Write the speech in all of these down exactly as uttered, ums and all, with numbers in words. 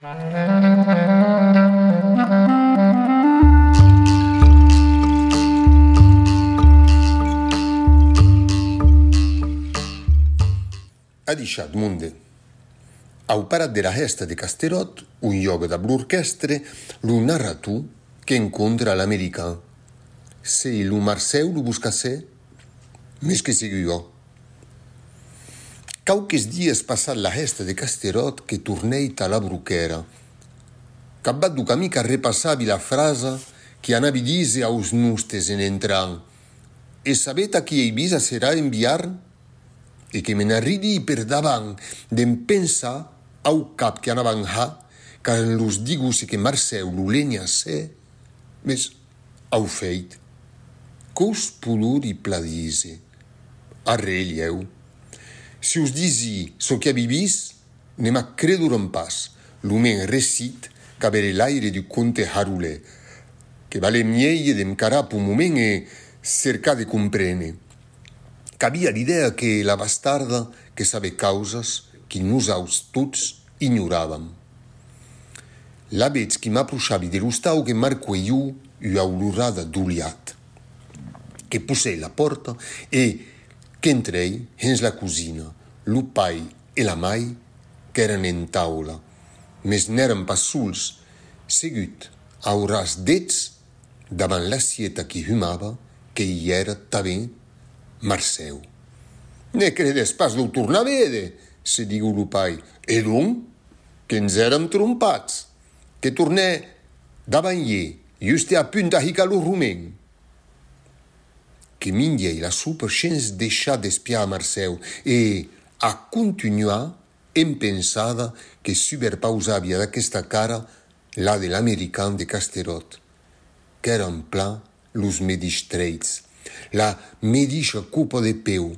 Adishatz, monde. Au parat de la hèsta de Casteròt, ont jòga dab l'orquèstre lo narrator qu'encontra a l'American. Sei lo Marcèu lo boscassèr? Mes que segur, ò. Quauques dias passat la hèsta de Casteròt que tornèi tà la broquèra. Capvath deu camin qu'arrepassavi la frasa qui anavi díser aus nostes en entrant: E sabetz a qui èi vist acerà en Biarn? E que me n'arridii per davant de'm pensar au cap que anavan har quand los digosse que Marcèu lo lenhassèr, mes au fèit, que'us podori plan díser? Arren, lhèu. Si us disi çò qui avi vist, ne m'ac credoràn pas, lo men recit qu'avère l'aire d'un conte harolèr. Que valè mielhs de'm carar peu moment e cercar de compréner. Qu'avia l'idèa que la bastarda que sabè causas qui nosauts tots ignoravam. Lavetz qui m'aprochavi de l'ostau que marquè jo ua olorada d'oliat. Que possèi la pòrta e qu'entrèi hens la cosina, lo pair e la mair qu'èran en taula, mes n'èran pas sols, segut au ras d'eths, davant l'assieta qui humava, que i èra tanben Marcèu. Ne credètz pas de'u tornar véder, se digó lo pair. E donc? Que'ns èram trompats. Que tornè davant ier, juste a punt a hicar lo romen. Que minjèi la sopa shens deishar d'espiar a Marcèu e a contunhar en pensada que suberpausavi ad aquesta cara la de l'American de Casteròt. Qu'èran plan los medish trèits, la medisha copa de peu,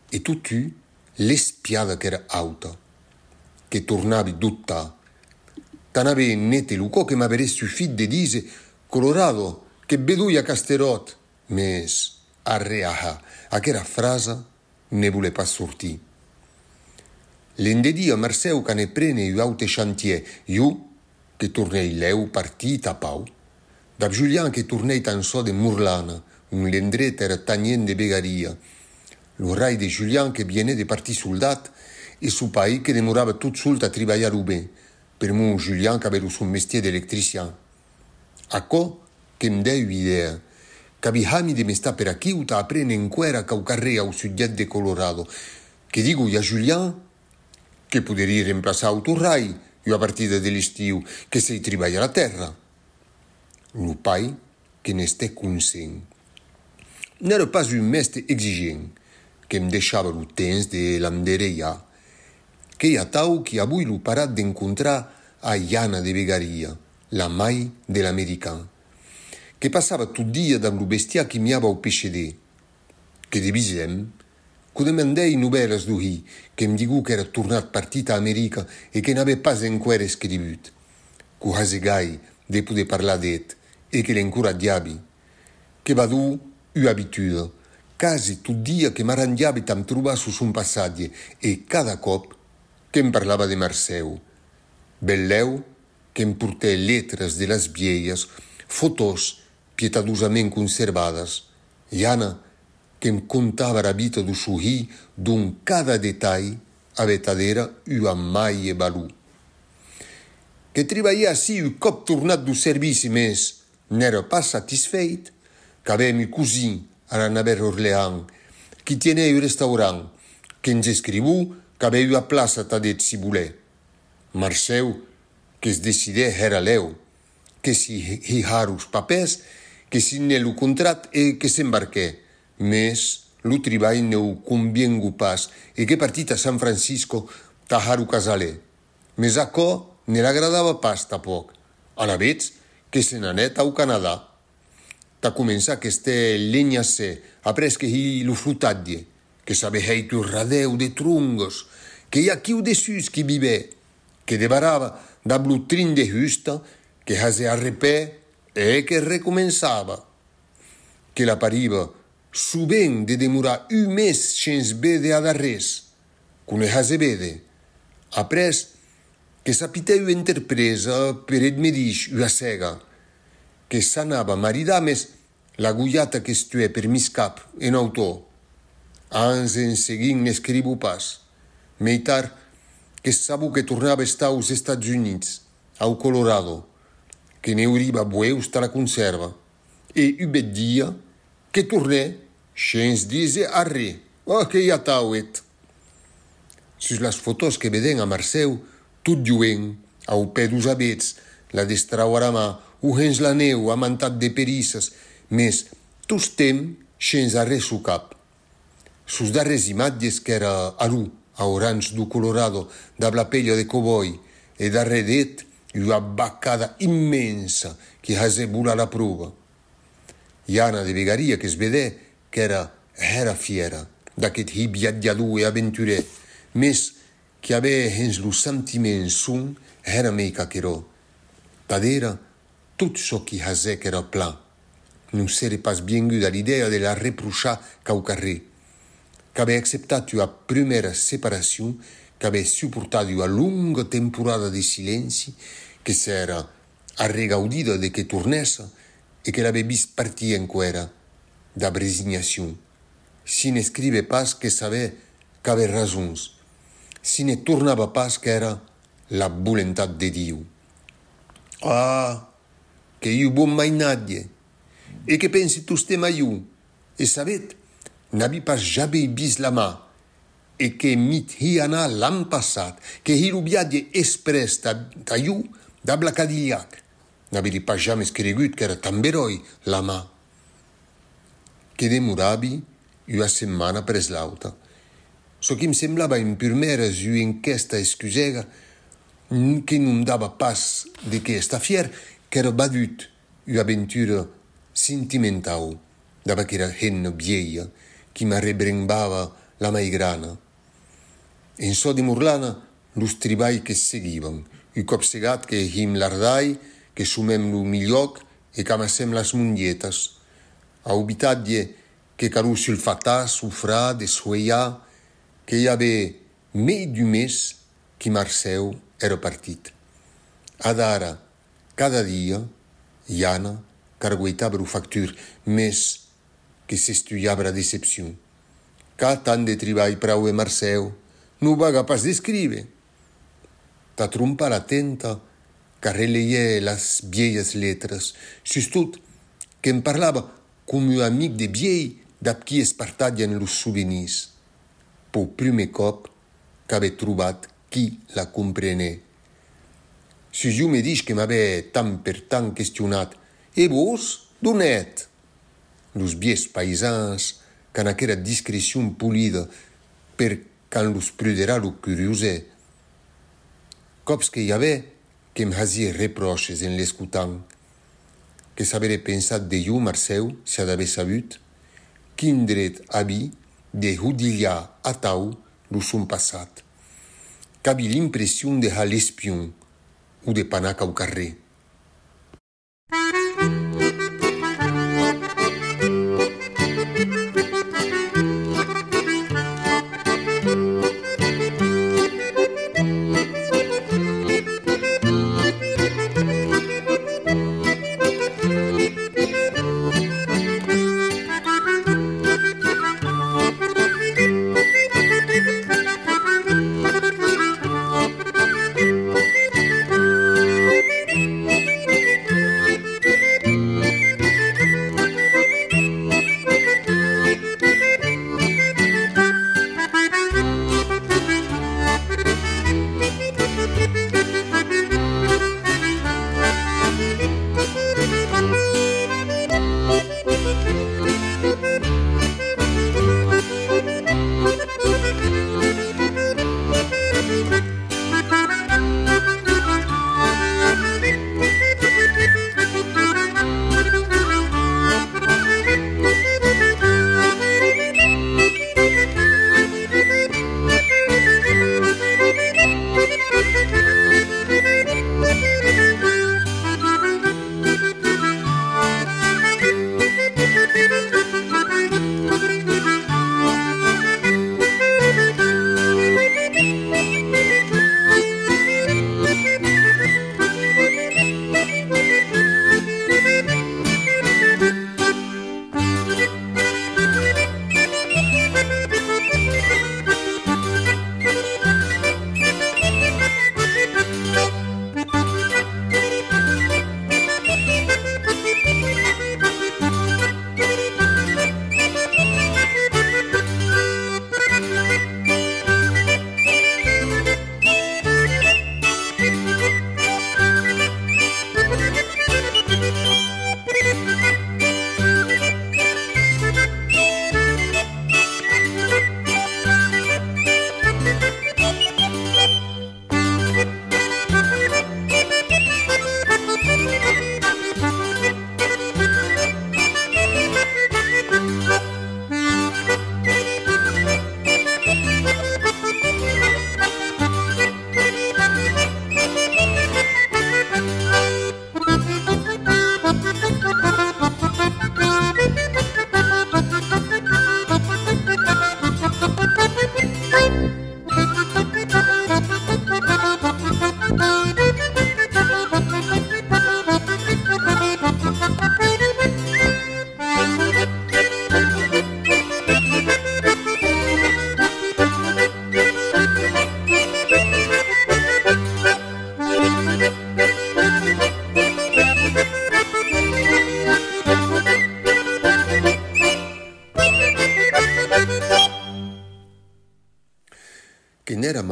e totun l'espiada qu'èra auta. Que tornavi dobtar. Tant avè nete lo còr que m'averé sufit de díser: Colorado, que't vedoi a Casteròt! Mes, arré a har, aquera frasa ne volè pas sortir. L'endedia Marcèu qu'anè préner un aute chantièr, jo que tornèi lèu partir tà Pau. Dab Julian que tornèi tan sò de Morlana, ont l'endret èra tanhent de vegaria. Lo rai de Julian que vienè de partir soldat e so pair que demorava tot sol tà tribalhar lo ben, permor Julian qu'avè lo son mestièr d'electrician. Aquò que'm dèi ua idèa. Qu'avi hami de m'estar per aquiu tà apréner enqüèra quauquarren au subjècte de Colorado. Que digoi a Julian que poderí remplaçar au torrai ua partida de l'estiu, que s'èi tribalha la tèrra. Lo pair que n'estè conscient. N'èra pas un mèste exigent, que'm deishava lo temps de l'endereiar. Qu'ei atau qui avui lo parat d'encontrar a Jana de Vegaria, la mair de l'American, que passava tot dia dab lo bestiar qui miava au peixeder. Que devisèm, que'u demandèi novèlas deu hilh, que'm digó qu'èra tornat partir tà America e que n'avè pas enqüèra escrivut. Que'u hasè gai de poder parlar d'eth e que l'encoratjavi. Que vadó ua abituda, quasi tot dia que m'arranjavi tà'm trobar sus son passatge e cada còp que'm parlava de Marcèu. Benlèu que'm portè letras de las vielhas, fotòs pietadosament conservadas, Jana que'm contava era vita deu son hilh dont cada detalh avè tad era ua màger valor. Que tribalhè ací un còp tornat deu servici, mes n'èra pas satisfèit. Qu'avèm un cosin a la Navèra Orleans qui tienè un restaurant, que'ns escrivó qu'avè ua plaça tad eth si volè. Marcèu que's decidè hèra lèu, que si hi-, hi har los papèrs, que signè lo contrat e que s'embarquè. Mes lo tribalh ne'u conviengó pas e que partí tà San Francisco tà har lo casalèr. Mes aquò ne l'agradava pas tanpòc. Alavetz que se n'anèt au Canadà. Tà començar qu'estè lenhassèr, après que hi lo flotatge, que s'avè hèit un radèu de trongas, qu'ei aquiu dessús qui vivè, que debarava dab lo trin de husta, que hasè arrepè e que recomençava. Que l'apariva sovent de demorar un mes shens véder ad arrés, que'u ne hasè véder. Après, Que s'apitèu enterpresa per eth medish ua sèga, que s'anava maridar, mes la gojata que's tuè per miscap en autò. Ans en seguint n'escrivo pas. Mei tard, que sabo que tornava estar aus Estats Units, au Colorado, que ne'uriva bueus tà la consèrva. E un bèth dia, que tornè, shens díser arré. Oh, qu'ei atau, eth! Sus las fotòs que vedèm a Marcèu, tot joen, au pè deus avets, la destrau ara man, o hens la nèu, amantat de perissas, mes tostemp shens arré suu cap. Sus darrèrs imatges qu'èra alú, au ranch deu Colorado, dab la pelha de cowboy, e darrèr d'eth ua vacada immensa qui hasè volar la prova. Jana de Vegaria que's vedè qu'èra hèra fièra d'aqueth hilh viatjador e aventurèr, mes qui avè hens lo sentiment son hèra mei qu'aquerò. Tad era, tot çò qui hasè qu'èra plan. Non s'ère pas viengut a l'idèa de la reprochar quauquarré. Qu'avè acceptat ua prumèra separacion, qu'avè suportat ua longa temporada de silenci, que s'èra arregaudida de que tornèssa e que l'avè vist partir enqüèra, dab resignacion. Si n'escrive pas que sabè qu'avè rasons. Si ne tornava pas qu'èra la volentat de Diu. Ah, qu'ei un bon mainatge! E que pensi tostemp a jo, e sabetz, n'avi pas jamei vist la mar, e que mi't hi anà l'an passat, que hi lo viatge exprès tà, tà jo dab la Cadillac. N'avieri pas jamès cregut qu'èra tan beròi la mar. Que demoravi ua setmana après l'auta. Çò qui'm semblava en purmèras ua enquèsta excusèga, n-, que non dava pas de qué estar fièr, qu'èra vadut ua aventura sentimentau dab aquera hemna vielha qui m'arrebrembava la mei grana. En çò de Morlana, los tribalhs que seguivan. Un còp segat que him l'ardalh, que somem lo milhòc e qu'amassem las mongetas. Au vitatge que caló sulfatar, sofrar, deshuelhar, que i avè mei d'un mes qui Marcèu èra partit. Adara, cada dia, Jana carguetava lo factur, mes que s'estulhava era decepcion. Qu'a tant de tribalh, praube Marcèu, non vaga pas d'escríver! Tà trompar la tenta, qu'arreleiè las vielhas letras, sustot que'm parlava com un amic de vielh dab qui es partatjan los sovenirs. Peu prumèr còp qu'avè trobat qui la comprenè. Sus jo medish que m'avè tant per tant questionat: «E vos, d'on ètz?» Los vielhs païsans qu'an aquera discrecion polida per quand los pruderà lo curiosèr. Còps que i avè que'm hasiè repròches en l'escotant. Que s'averè pensat de jo, Marcèu, se ad avè sabut? Quin dret avi de hodilhar atau lo son passat? Qu'avi l'impression de har l'espion o de panar quauquarré.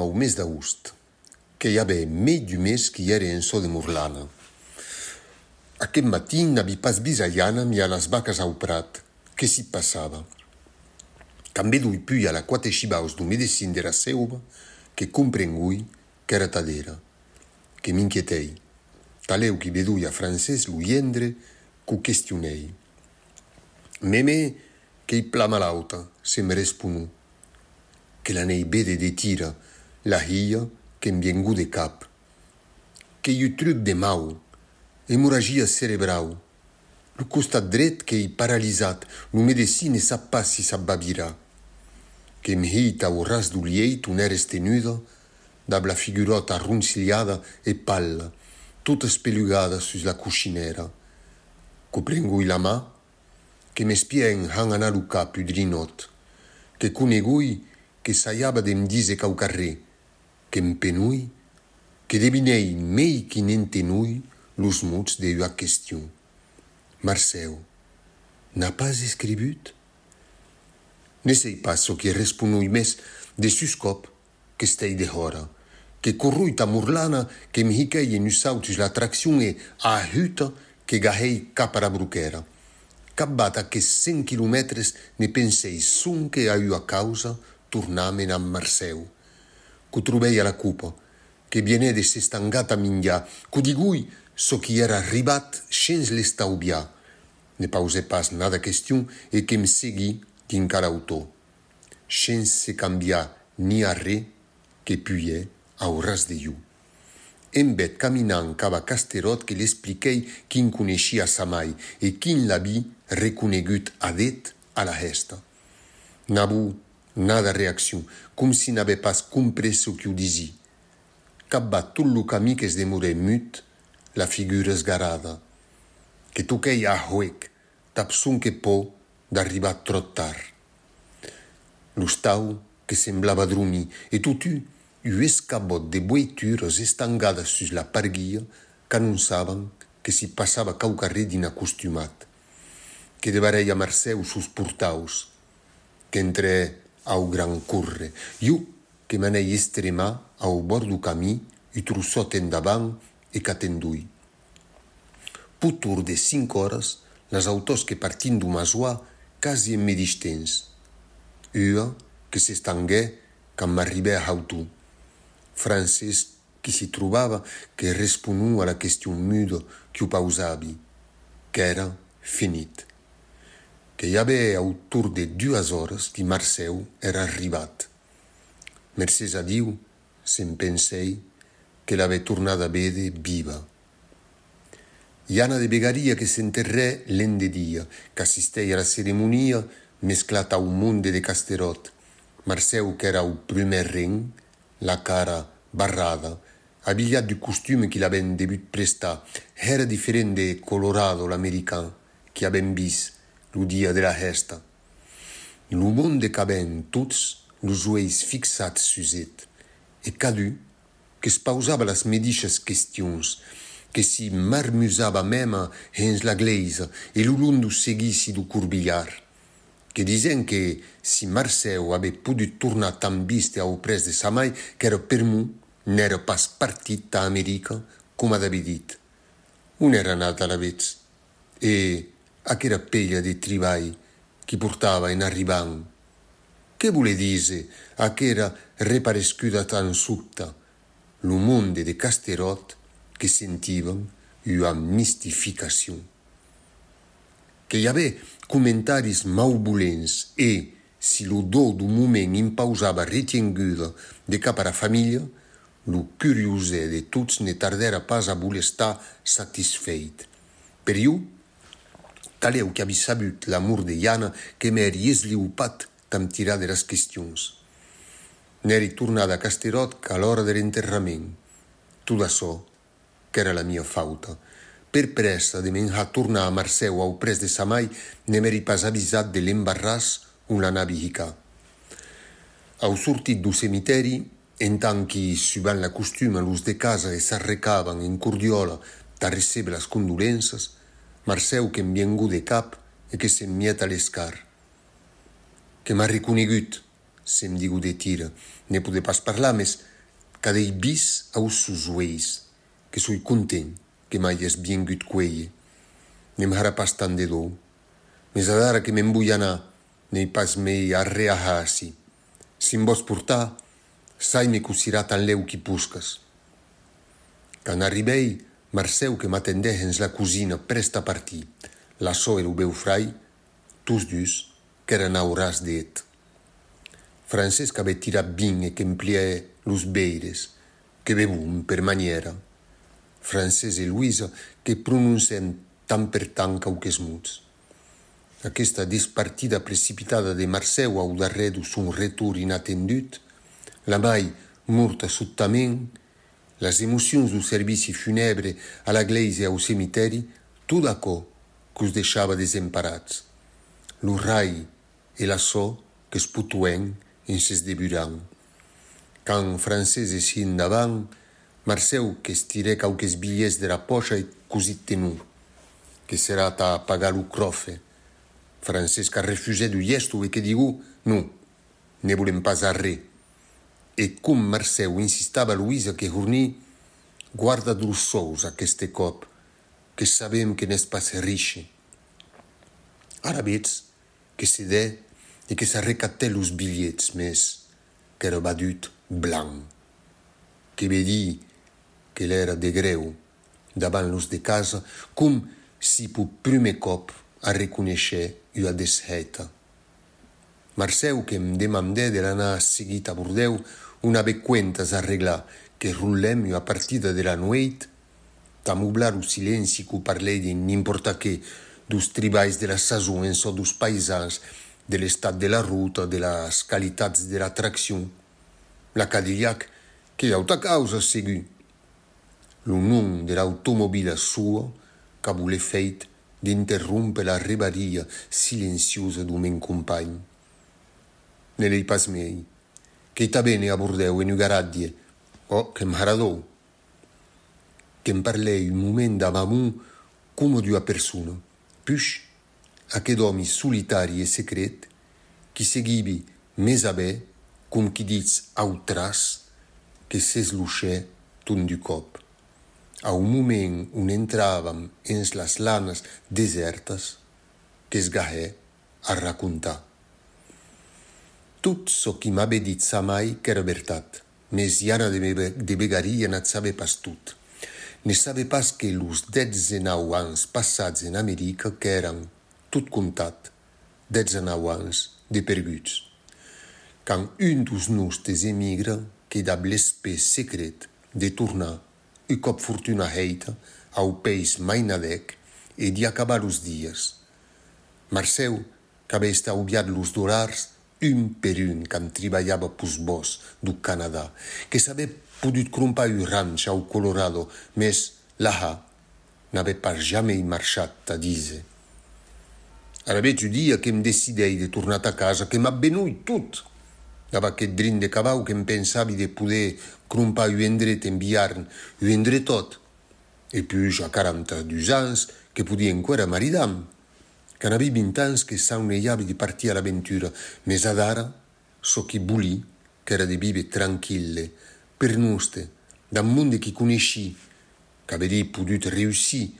Au mes d'agost, que i avè mei d'un mes qui ère en çò de Morlana. Aqueth matin n'aví pas vist a Jana miar las vacas au prat. Que s'i passava? Quand vedoi pujar la quate shivaus deu medecin dera seuva, que comprengoi qu'èra tad era. Que m'inquietèi. Talèu qui vedoi a Francés, lo gendre, qu'o questionèi. Meme qu'ei plan malauta, se'm responó. Que l'anèi véder de tira, la hilha que'm vienguó de cap. Qu'ei un truc de mau, emorragia cerebrau. Lo costat dret qu'ei paralizat, lo medecin ne sap pas si s'ac va virar. Que'm hii au ras deu lieit on ère estenuda, dab la figuròta arroncilhada e palla, tota espelugada sus la cochinèra. Qu'o prengoi la man, que m'espiè en hant anar lo cap un drinòt, que conegoi que sajava de'm díser quauquarren, que'm penoi, que devinèi mei qui n'entenoi los mots de ua question. Marcèu, n'a pas escrivut? Ne sèi pas çò qui responoi, mès de suscòp qu'estèi dehòra, que corroi tà Morlana, que'm hiquèi en un saut sus la traccion e, a huta, que gahèi cap ara broquèra. Capvath aqueths cent quilomètres ne pensèi sonque a ua causa, tornar menar Marcèu. Qu'o trobèi a la copa, que vienè de s'estangar tà minjar, qu'o digoi çò qui èra arribat shens l'estauviar. Ne pausè pas nada question e que'm seguí dinc a l'autò. Shens se cambiar ni arren, que pugè au ras de jo. Embèth caminant cap a Casteròt que l'expliquèi quin coneishia sa mair e quin l'aví reconegut a d'eth a la hèsta. Nabó, nada reaccion, com si n'avè pas comprés çò qui'u disí. Capvath tot lo camin que's demorè mut, la figura esgarada. Que toquèi a huec, dab sonque pòur d'arribar tròp tard. L'ostau que semblava dromir, e totun, un escabòt de voeituras estangadas sus la parguilha qu'anonçavan que s'i passava quauquarren d'inacostumat. Que devarèi a Marcèu sus portaus, qu'entrè au gran córrer. Jo que m'anèi estremar au bòrd deu camin, un troçòt endavant, e qu'atendoi. Pus tard de cinc oras, las autos que partin deu Masoà quasi en medish temps. Ua que s'estanguè quand m'arribè a Hautó. Francés qui s'i trobava que responó a la question muda qui'u pausavi, qu'èra finit. Que i avè au torn de duas oras qui Marcèu èra arribat. Mercés a Diu, se'm pensèi, que l'avè tornada véder viva. Jana de Vegaria que s'enterrè l'endedia, qu'assistèi a la ceremonia mesclat au monde de Casteròt. Marcèu qu'èra au prumèr reng, la cara barrada, abilhat deu costume qui l'avèn devut prestar, hèra diferent de Colorado l'american qui avèm vist lo dia de la hèsta. Lo monde qu'avèn tots los uelhs fixats sus eth, e cadun que's pausava las medishas questions, que s'i marmusava mèma hens la glèisa e lo long deu seguici deu corbilhar. Que disèn que si Marcèu avè podut tornar tan viste auprès de sa mair, qu'èra permor n'èra pas partit tà America, coma d'abitut. On èra anat alavetz? E aquera pelha de tribalh qui portava en arribant? Que volè díser aquera reparescuda tan sobta? Lo monde de Casteròt que sentivan ua mistificacion. Que i avè comentaris mauvolents e, si lo dòu deu moment impausava retienguda de cap ara familha, lo curiosèr de tots ne tardèra pas a voler estar satisfèit. Per jo, talèu qu'aví sabut la mort de Jana, que m'èri esliupat tà'm tirar de las questions. N'èri tornada a Casteròt qu'a l'ora der enterrament. Tot açò qu'èra la mia fauta. Per prèssa de me'n har tornar a Marcèu auprès de sa mair, ne m'èri pas avisat de l'embarràs on l'anavi hicar. Au sortir deu cemitèri, en tant qui, subant la costuma, los de casa e s'arrecavan en cordiòla tà recéber las condolenças, Marcèu que'm viengó de cap e que se'm mièt a l'escar. Que m'a reconegut, se'm digó de tira. Ne podè pas parlar, mès qu'a dei bis aus sos uelhs, que soi content que m'aias viengut cuélher. Ne'm harà pas tant de dòu. Mes adara que me'n voi anar, n'èi pas mei arré a har ací. Si'm vòs portar, sai-me cossirà tanlèu qu'i poscas. Quand arribèi, Marcèu que m'atendè hens la cosina, prèst a partir. La sòr e lo bèu-frai, tots dus, qu'èran auràs d'eth. Francés qu'avè tirat vin e qu'empliè los veires, que bevon per manièra. Francés e Loïsa que prononcèn tant per tant quauques mots. Aquesta despartida precipitada de Marcèu au darrèr deu son retorn inatendut, la mair morta sobtament, las emocions deu servici funèbre a la glèisa e au cemitèri, tot aquò que'us deishava desemparats. Lo rai e la sòr que's potoèn en se's deburant. Quand Francés essí endavant, Marcèu que's tirè quauques bilhets dera pòcha e cosit tenor, que serà tà pagar lo cròfe. Francés qu'arrefusè d'un gèsto e que digó: «Non, ne volem pas arré.» E com Marcèu insistava, Loïsa que hornit: «Guarda los sòus aqueste còp, que sabem que n'ès pas riche.» Alavetz que cedè e que s'arrecaptè los bilhets, mes qu'èra vadut blanc. Que vedí que l'èra de grèu davant los de casa, com si peu prumèr còp arreconeishè ua deshèita. Marcèu que'm demandè de l'anar seguit a Bordèu, ont avè cuentas a arreglar, que rotlèm ua partida de la nueit, tà moblar lo silenci que'u parlèi de n'impòrta qué, deus tribalhs de la sason en çò deus paisans, de l'estat de la rota, de las qualitats de la traccion. La Cadillac qu'ei auta causa, segur. Lo nom de l'automobila soa qu'avó l'efèit d'interrompre la rebaria silenciosa deu men companh. Ne l'èi pas mei. Qu'èi tà véner a Bordèu en un garatge. Ò, que'm harà dòu. Que'm parlèi un moment damb amor coma d'ua persona. Puish, aqueth òmi solitari e secret, qui seguivi mes avè, com qui ditz, au tras, que s'eslochè tot d'un còp. Au moment on entravam hens las lanas desèrtas, que's gahè a racontar. Tot çò qui m'avè dit sa mair qu'èra vertat, mes Jana de, Be-, de Begaria n'at sabè pas tot. Ne sabè pas que los dètz-e-nau ans passats en America qu'èran, tot comptat, dètz-e-nau ans de perguts. Quand un deus nòstes emigra, que dab l'espèr secret de tornar, un còp fortuna hèita, au país mainadèc e d'i acabar los dias. Marcèu qu'avè estauviat los dolars un per un quand tribalhava peus bòscs deu Canadà, que s'avè podut crompar un ranch au Colorado, mes lahà n'avè pas jamei marchat tà díser. Alavetz un dia que'm decidèi de tornar tà casa, que m'at benoi tot. Dab aqueth drin de cavau que'm pensavi de poder crompar un endret en Biarn, un endretòt. E puish, a quaranta-dus ans, que podí enqüèra maridar-me. Quand aví vint ans que saunejavi de partir a l'aventura, mes adara, çò qui volí, qu'èra de víver tranquille, per noste, dab monde qui coneishí, qu'averí podut reüssir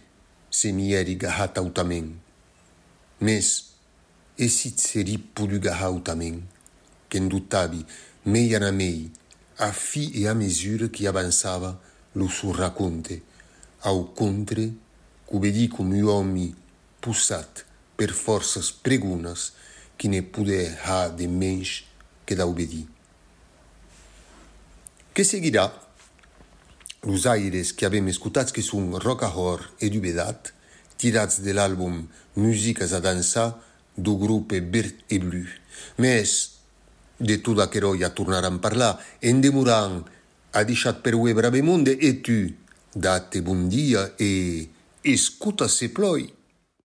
se m'i èri gahat autament. Mes, e si serí podut gahar autament? Que'n dobtavi, mei anar mei, a fi e a mesura qui avançava lo son raconte. Au contre, que'u vedí com un òmi possat per fòrças pregonas qui ne podè har de mensh que d'aubedir. Que seguirà? Los aires qui avem escotats que son Ròcahòrt e Dubedat, tirats de l'album Musicas a dançar deu grope Verd e Blu. Mes de tot aquerò ja tornaram parlar. En demorant, adishatz per uei brave monde e tu, da-te bon dia e escota se plòi.